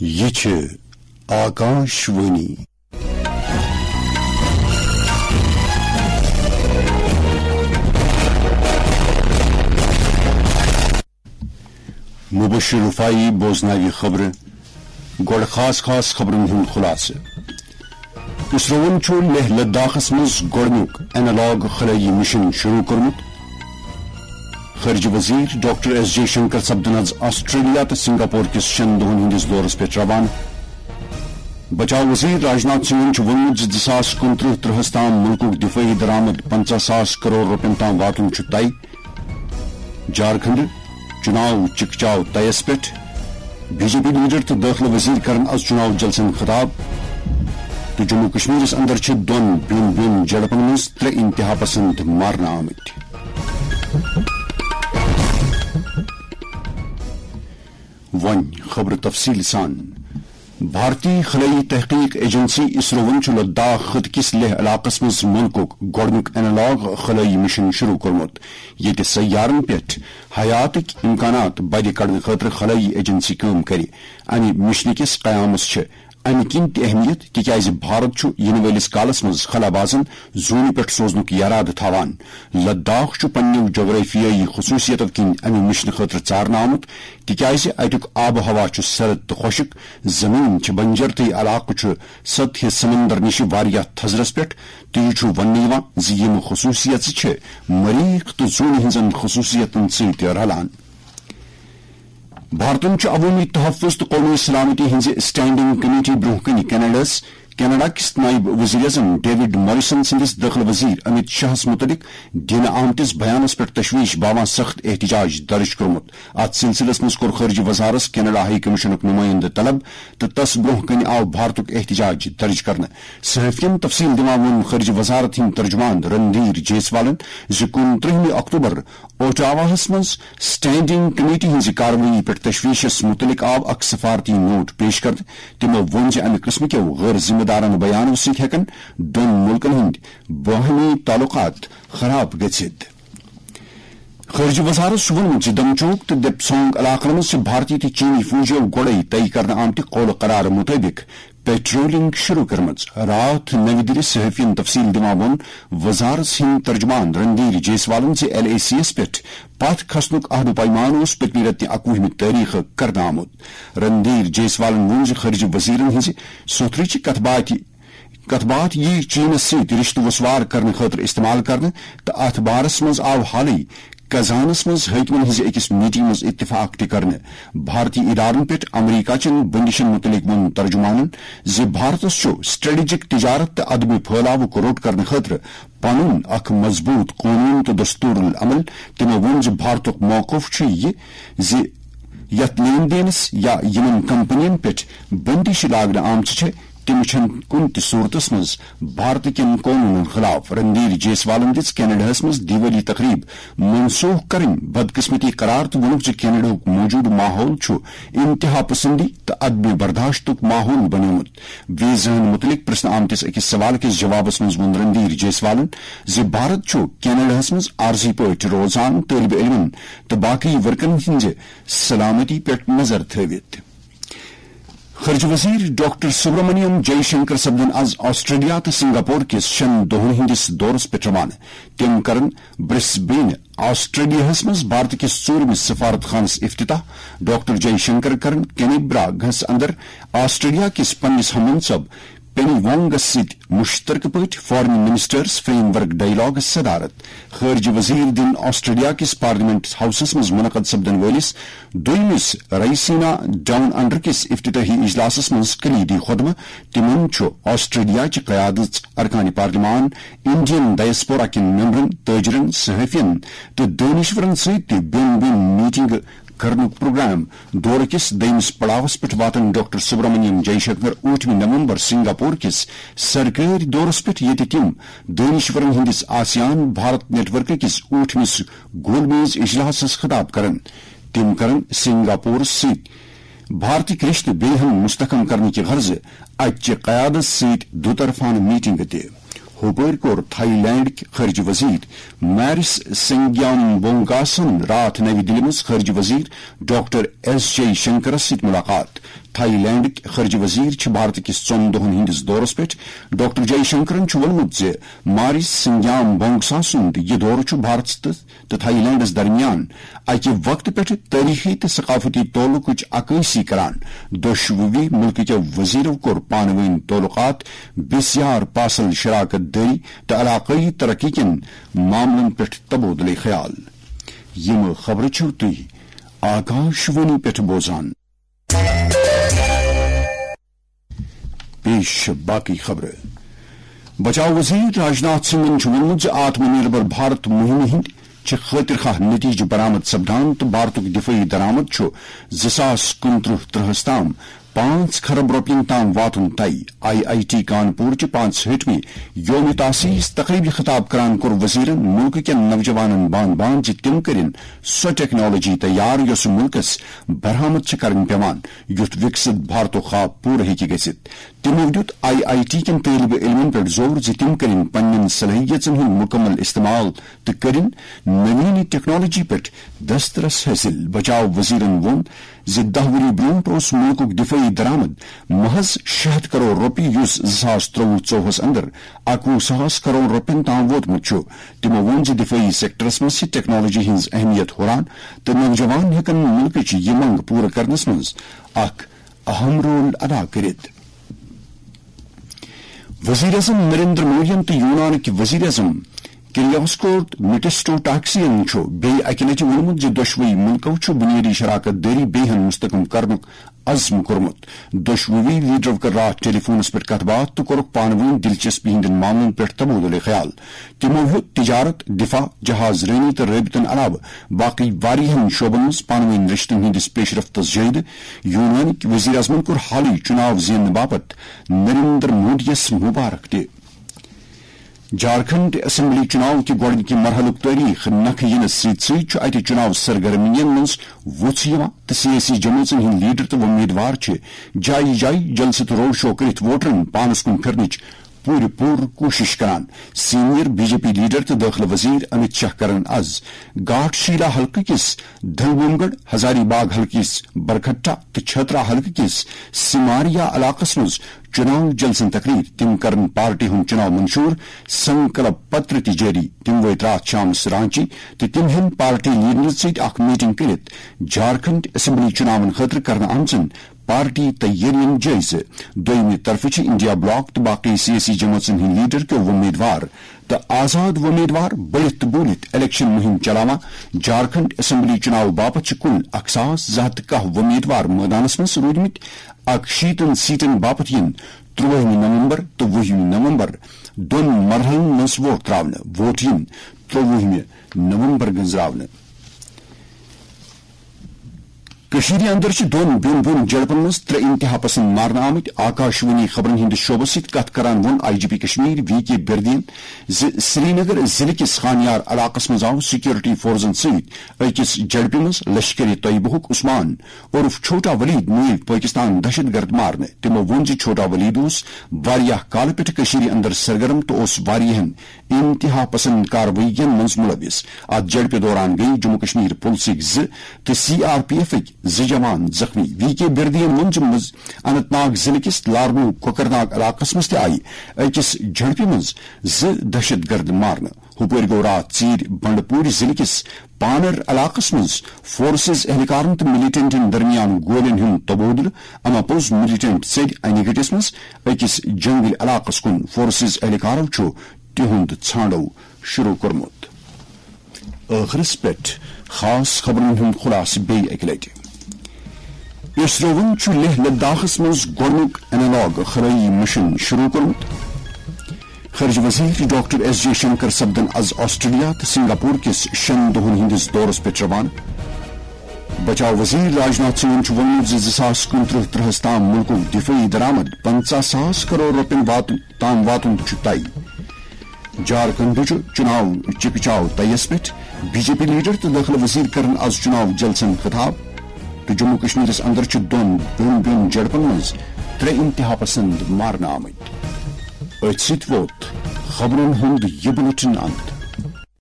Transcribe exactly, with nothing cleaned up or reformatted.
یہِ چھِ آکاش وانی۔ مبشر رفاعی بوزناوِ خبرٕ۔ گۄڈٕ خاص خاص خبرن ہُنٛد خلاصہٕ۔ اسروَن چھُ لیہہ لداخس منٛز گۄڈٕنیُک اینالاگ خلٲیی مشن شروع کوٚرمُت۔ خارجہ وزیر ڈاکٹر ایس جے شنکر سپدن آز آسٹریلیا تہٕ سنگاپور کِس شٮ۪ن دۄہن ہٕنٛدِس دورس پٮ۪ٹھ روانہٕ۔ بچاو وزیر راجناتھ سنگھن چھُ ووٚنمُت زِ زٕ ساس کُنترٕہ ترٕہس تام مُلکُک دفٲعی درآمد پنژاہ ساس کرور رۄپین تام واتُن چھُ طے۔ جھارکھنڈ چُناو چکچاو طیس پٮ۪ٹھ۔ بی جے پی لیڈر تہٕ دٲخلہٕ وزیر کرن از چُناو جلسن خطاب۔ تہٕ جموں کشمیرس اندر چھِ دۄن بیوٚن بیوٚن جھڑپن منٛز ترٛےٚ انتہا پسند مارنہٕ آمٕتۍ۔ وۄنۍ خبرٕ تفصیٖل سان۔ بھارتی خلٲیی تحقیق ایجنسی اسروَن چھُ لداخ خطہٕ کِس لیہہ علاقس منٛز مُلکُک گۄڈٕنیُک اینالاگ خلٲیی مشن شروع کوٚرمُت، ییٚتہِ سیارن پٮ۪ٹھ حیاتٕکۍ امکانات بدِ کڑنہٕ خٲطرٕ خلٲیی ایجنسی کٲم کرِ۔ امہِ مشنہٕ کِس قیامس چھِ امہِ کِنۍ تہِ اہمیت، تِکیازِ بھارت چھُ یِنہٕ وٲلِس کالس منٛز خلا بازن زوٗنہِ پٮ۪ٹھ سوزنُک یرادٕ تھاوان۔ لداخ چھُ پننیو جغرافیٲیی خصوٗصیتو کِنۍ امہِ مشنہٕ خٲطرٕ ژارنہٕ آمُت، تِکیازِ اتیُک آب و ہوا چھُ سرد تہٕ خۄشک، زمین چھِ بنجر تہٕ یہِ علاقہٕ چھُ سطح سمندر نِش واریاہ تھزرس پٮ۪ٹھ، تہٕ یہِ چھُ وننہٕ یِوان زِ یِم خصوٗصیژٕ چھِ مریخ تہٕ زوٗنہِ ہٕنٛزن خصوٗصیتن سۭتۍ رلان۔ بھارتن چھُ عوٲمی تحفظ تہٕ قومی سلامتی ہٕنٛزِ اسٹینڈنگ کمیٹی برٛونٛہہ کنہِ کینیڈاہس، کینیڈا کِس نائب وزیر اعظم ڈیوڈ موریسن سٕنٛدِس دٲخلہٕ وزیر امیت شاہس مُتعلق دِنہٕ آمتِس بیانس پٮ۪ٹھ تشویش باوان سخت احتجاج درج کوٚرمُت۔ اتھ سلسلس منٛز کوٚر خارجہ وزارت کینیڈا ہائی کمیشنُک نمائندٕ طلب تہٕ تس برٛونٛہہ کنہِ آو بھارتُک احتجاج درج کرنہٕ۔ صحافین تفصیل دِوان ووٚن خارجہ وزارت ہٕنٛدۍ ترجمان رندھیر جیسوالن زِ کُنترٕہمہِ اکتوبر اوٹاواہس منٛز اسٹینڈنگ کمیٹی ہٕنٛزِ کاروٲیی پٮ۪ٹھ تشویشس مُتعلق آو اکھ سفارتی نوٹ پیش کرنہٕ۔ تِمو ووٚن زِ امہِ قٕسمہٕ کیو غٲر ذمہٕ دارانہٕ بیانو سۭتۍ ہٮ۪کن دۄن مُلکن ہٕنٛدۍ باہمی تعلقات خراب گٔژھِتھ۔ خارجہ وزارت چھُ ووٚنمُت زِ دمچوک تہٕ دپسونگ علاقن منٛز چھِ بھارتی تہٕ چینی فوجو گۄڈَے طے کرنہٕ آمتہِ قولہٕ قرارٕ مُطٲبِق پیٹرولنگ شروع کٔرمٕژ۔ راتھ نَوِ دِلہِ صحافین تفصیل دِوان ووٚن وزارت ہٕنٛدۍ ترجمان رندھیر جیسوالن زِ ایل اے سی یَس پٮ۪ٹھ پتھ کھسنُک عہد و پیمان اوس پٔتمہِ رٮ۪تہٕ اَکوُہمہِ تٲریخہٕ کرنہٕ آمُت۔ رندھیر جیسوالن ووٚن زِ خارجہ وزیرن ہٕنٛزِ سوٚتھرٕچہِ کتھ باتھِ کتھ باتھ یی چینس سۭتۍ رشتہٕ وسوار کرنہٕ خٲطرٕ استعمال کرنہٕ، تہٕ اتھ بارس منٛز آو حالٕے کزانس منٛز حٲکمن ہٕنٛزِ أکِس میٹنگ منٛز اتفاق تہِ کرنہٕ۔ بھارتی ادارن پٮ۪ٹھ امریکہ چٮ۪ن بندشن مُتعلق ووٚن ترجمانن زِ بھارتس چھُ اسٹریٹجک تجارت تہٕ عدم پھٲلاوُک روٚٹ کرنہٕ خٲطرٕ پنُن اکھ مضبوط قونوٗن تہٕ دستور العمل۔ تِمو ووٚن زِ بھارتُک موقف چھُ یہِ زِ یتھ لین دینس یا یِمن کمپنین پٮ۪ٹھ بندش لاگنہٕ آمژٕ چھےٚ، تِم چھَنہٕ کُنہِ تہِ صورتس منٛز بھارت کٮ۪ن قونوٗنن خلاف۔ رندھیر جیسوالن دِژ کینیڈاہس منٛز دیوالی تقریب منسوخ کرٕنۍ بدقسمتی قرار تہٕ ووٚنُکھ زِ کینیڈاہُک موجودٕ ماحول چھُ انتہا پسندی تہٕ عدم برداشتُک ماحول بنیومُت۔ ویزاہن مُتعلق پرژھنہٕ آمتِس أکِس سوال کِس جوابس منٛز ووٚن رندھیر جیسوالن زِ بھارت چھُ کینیڈاہس منٛز عارضی پٲٹھۍ روزان طٲلبہِ علمن تہٕ باقی ورکرن ہٕنٛزِ سلامتی پٮ۪ٹھ نظر تھٲوِتھ۔ خارجہ وزیر ڈاکٹر سبرامنیم جے شنکر سپدن آز آسٹریلیا تہٕ سنگاپور کِس شٮ۪ن دۄہن ہٕنٛدِس دورس پٮ۪ٹھ روانہٕ۔ تِم کرن برسبین، آسٹریلیاہس منٛز بھارت کِس ژوٗرمِس سفارت خانس افتتاح۔ ڈاکٹر جے شنکر کرن کینیبرا گس اندر آسٹریلیا کِس پننِس ہم منصب پینی وانگس سۭتۍ مشترکہٕ پٲٹھۍ foreign ministers frame work dialogues صدارت۔ خارجہ وزیر دِن آسٹریلیا کِس پارلیمنٹ ہاؤسس منٛز منعقد سپدن وٲلِس دوٚیمِس رائسینا ڈاؤن انڈر کِس افتتاحی اجلاسس منٛز کلیدی خطبہٕ۔ تِمن چھُ آسٹریلیا چہِ قیادٕژ ارکان پارلیمان، انڈین ڈائسپورا کٮ۪ن ممبرن، تاجرن، صحافین تہٕ دٲنشورن سۭتۍ تہِ بیوٚن بیوٚن میٹنگہٕ کرنُک پروگرام۔ دورٕ کِس دوٚیمِس پڑاوس پٮ۪ٹھ واتن ڈاکٹر سبرامنیم جے شنکر ٲٹھمہِ نومبر سنگاپور کِس سرکٲرۍ دورس پٮ۪ٹھ، ییٚتہِ تِم دٲنشورن ہٕنٛدِس آسیان بھارت نیٹ ورک کِس ٲٹھمِس گول میز اجلاسس خطاب کرن۔ تِم کرن سنگاپورس سۭتۍ بھارتٕکۍ رشتہٕ بیٚیہِ ہن مستحکم کرنہٕ کہِ غرضہٕ اتہِ چہِ قیادت سۭتۍ دُطرفانہٕ میٹنگہٕ تہِ۔ ہُپٲرۍ کوٚر تھائی لینڈٕکۍ خارجہ وزیر میرس سنگیام بونگاسن راتھ نَوِ دِلہِ منٛز خارجہ وزیر ڈاکٹر ایس جے شنکرس سۭتۍ مُلاقات۔ تھائی لینڈٕکۍ خارجہ وزیر چھِ بھارت کِس ژۄن دۄہن ہٕنٛدِس دورس پٮ۪ٹھ۔ ڈاکٹر جے شنکرن چھُ ووٚنمُت زِ ماریس سنگیام بونگسا سُنٛد یہِ دورٕ چھُ بھارتس تہٕ، تہٕ تھائی لینڈس درمیان اکہِ وقتہٕ پٮ۪ٹھٕ تٲریخی تہٕ ثقافتی تعلقٕچ عکٲسی کران۔ دۄشوٕے مُلکہٕ کٮ۪و وزیرو کوٚر پانہٕ وٲنۍ تعلقات بسیار پاسل شراکت دٲری تہٕ علاقٲیی ترقی کٮ۪ن معاملن پٮ۪ٹھ تبادلہٕ خیال۔ یِم خبرٕ چھِو تُہۍ آکاشوانی پٮ۪ٹھ بوزان۔ پیش چھِ باقٕے خبرٕ۔ بچاو وزیر راجناتھ سنگھن چھُ ووٚنمُت زِ آتم نربھر بھارت مُہِمہِ ہٕنٛدۍ چھِ خٲطر خواہ نتیجہٕ برآمد سپدان تہٕ بھارتُک دفٲعی درآمد چھُ زٕ ساس کُنترٕہ ترٕہس تام پانٛژھ کھرب رۄپین تام واتُن طے۔ آئی آئی ٹی کانپور چہِ پانٛژہٲٹھمہِ یوم تاسیس تقریبہِ خطاب کران کوٚر وزیرن مُلکہٕ کٮ۪ن نوجوانن بان بان زِ تِم کٔرِن سۄ ٹیکنالوجی تیار یۄسہٕ مُلکس برآمد چھِ کرٕنۍ پٮ۪وان، یُتھ وِکسِت بھارتُک خواب پوٗرٕ ہیٚکہِ گٔژھِتھ۔ تِمو دیُت آئی آئی ٹی کٮ۪ن طٲلبہِ علمن پٮ۪ٹھ زور زِ تِم کٔرِن پننٮ۪ن صلٲحیژن ہُنٛد مُکمل استعمال تہٕ کٔرِن نوینی ٹیکنالوجی پٮ۪ٹھ دسترس حٲصِل۔ بچاو وزیرن ووٚن زِ دَہ ؤری برٛونٛٹھ اوس مُلکُک دِفٲعی درآمد محض شےٚ ہَتھ کرور رۄپیہِ، یُس زٕ ساس ترٛۆوُہ ژۄوُہس اندر اَکوُہ ساس کرور رۄپین تام ووتمُت چھُ۔ تِمو ووٚن زِ دِفٲعی سیکٹرس منٛز چھِ ٹیکنالوجی ہٕنٛز اہمیت ہُران تہٕ نوجوان ہٮ۪کن مُلکٕچ یہِ منٛگ پوٗرٕ کرنس منٛز اکھ اہم رول ادا کٔرِتھ۔ وزیر اعظم نریندر مودیَن تہٕ یونانٕکۍ وزیر اعظم کریوس کوت مٹسٹو ٹاکسین چھُ بیٚیہِ اَکہِ لَٹہِ ووٚنمُت زِ دۄشوٕے مُلکَو چھُ بُنیٲدی شراکت دٲری بیٚیہِ ہن مستحکم کرنُک عزم کوٚرمُت۔ دۄشوٕے لیڈرو کٔر راتھ ٹیلی فونَس پٮ۪ٹھ کَتھ باتھ تہٕ کوٚرُکھ پانہٕ ؤنۍ دلچسپی ہٕنٛدٮ۪ن معاملَن پٮ۪ٹھ تبادلہٕ خیال۔ تِمَو ہیوٚت تجارت، دفاع، جہاز رٲنی تہٕ رٲبطن علاوٕ باقٕے واریاہَن شعبَن منٛز پانہٕ ؤنۍ رِشتَن ہٕنٛدِس پیشرفتَس جٲیزٕ۔ یونانٕکۍ وزیر اعظمَن کوٚر حالٕے چُناو زیننہٕ باپتھ نریندر مودیَس مبارک تہِ۔ جھارکھنڈ اسمبلی چُناو کہِ گۄڈٕنِکہِ مرحلُک تٲریخ نکھٕ یِنس سۭتۍ سۭتۍ چھُ اتہِ چُناو سرگرمین منٛز وُژھ یِوان تہٕ سیٲسی جمٲژن ہٕنٛدۍ لیڈر تہٕ وۄمیدوار چھِ جایہِ جایہِ جلسہٕ تہٕ روڈ شو کٔرِتھ ووٹرن پانس کُن پھِرنٕچ پوٗرٕ پوٗرٕ کوٗشش کران۔ Senior B J P leader تہٕ دٲخلہٕ وزیر امت شاہ کرن از گاٹھ شیلا حلقہٕ کِس دھلبوم گڑھ، ہزاری باغ حلقہٕ کِس برکھٹا تہٕ چھترا حلقہٕ کِس سماریا علاقس منٛز چُناو جلسن تقریر۔ تِم کرن پارٹی ہُنٛد چُناو منشور سنکلپ پتر تہِ جٲری۔ تِم وٲتۍ راتھ شامس رانچی تہٕ تِم ہٮ۪ن پارٹی لیڈرن سۭتۍ اکھ میٹنگ کٔرِتھ جھارکھنڈ اسمبلی چُناون خٲطرٕ کرنہٕ آمژن پارٹی تیٲرین جٲیزٕ۔ دوٚیمہِ طرفہٕ چھِ انڈیا بلاک تہٕ باقٕے سیٲسی جمٲژن ہٕنٛدۍ لیڈر کیو وۄمیدوار تہٕ آزاد وۄمیدوار بٔلِتھ تہٕ بوٗلِتھ الیکشن مُہِم چلاوان۔ جھارکھنڈ اسمبلی چُناو باپتھ چھِ کُل اکھ ساس زٕ ہتھ تہٕ کاہ وۄمیدوار مٲدانس منٛز روٗدمٕتۍ۔ اکشیٖتن سیٹن باپتھ یِن ترٛۆوُہمہِ نومبر تہٕ وُہمہِ نومبر دۄن مرحلن منٛز ووٹ تراونہٕ۔ ووٹ یِن ترٛۆوُہمہِ نومبر گنزراونہٕ۔ کٔشیٖرِ اندر چھِ دۄن بیوٚن بیوٚن جھڑپن منٛز ترٛےٚ انتہا پسند مارنہٕ آمٕتۍ۔ آکاشوانی خبرن ہٕنٛدِس شعبس سۭتۍ کتھ کران ووٚن I G P Kashmir V K بردین زِ سرینگر ضلعہٕ کِس خانیار علاقس منٛز آو سیکورٹی فورسن سۭتۍ أکِس جھڑپہِ منٛز لشکر طیبہُک عثمان عرف چھوٹا ولید مٲوۍ پٲکستان دہشت گرد مارنہٕ۔ تِمو ووٚن زِ چھوٹا ولید اوس واریاہ کالہٕ پٮ۪ٹھٕ کٔشیٖرِ اندر سرگرم تہٕ اوس واریاہن انتہا پسند کاروٲیین منٛز ملوث۔ اتھ جھڑپہِ دوران گٔیہِ جموں کشمیر پُلسٕکۍ زٕ تہٕ سی آر پی ایفٕکۍ زٕ جوان زخمی۔ وی کے بردین ووٚن زِ مز-، اننت ناگ ضلعہٕ کِس لارنو کوکرناگ علاقس منٛز تہِ آیہِ أکِس جھڑپہِ منٛز زٕ دہشت گرد مارنہٕ۔ ہُپٲرۍ گوٚو راتھ ژیٖرۍ بنڈپوٗرۍ ضلعہٕ کِس پانر علاقس منٛز فورسز اہلکارن تہٕ ملیٹنٹن درمیان گولین ہُنٛد تبادلہٕ۔ اما پوٚز ملیٹنٹ ژٔلۍ انہِ گٔٹِس منٛز أکِس جنگل علاقس کُن۔ فورسز اہلکارو چھُ تِہُنٛد ژھانڈو شروع کوٚرمُت۔ ٲخرس پٮ۪ٹھ خاص خبرن ہُنٛد خلاصہٕ بیٚیہِ اَکہِ لٹہِ۔ اسرووَن چھُ لیہہ لداخس منٛز گۄڈٕنیُک اینالاگ خلٲیی مشن شروع کوٚرمُت۔ خارجہ وزیر ڈاکٹر ایس جے شنکر سپدن از آسٹریلیا تہٕ سنگاپور کِس شٮ۪ن دۄہن ہٕنٛدِس دورس پٮ۪ٹھ روانہٕ۔ بچاو وزیر راجناتھ سنگھن چھُ ووٚنمُت زِ زٕ ساس کُنترٕہ ترٕہس تام مُلکُک دفٲعی درآمد پنژاہ ساس کرور رۄپین واتُن تام واتُن چھُ طے۔ جھارکھنڈٕچ چُناو چکہ چاو طیَس پٮ۪ٹھ بی جے پی لیڈر تہٕ دٲخلہٕ وزیر کرن از چُناو جلسن خطاب تہٕ جموں کشمیرس اندر چھِ دۄن بیوٚن بیوٚن جھڑپن منٛز ترٛےٚ انتہا پسند مارنہٕ آمٕتۍ۔ أتھۍ سۭتۍ ووت خبرن ہُنٛد یہِ بلیٹن اند۔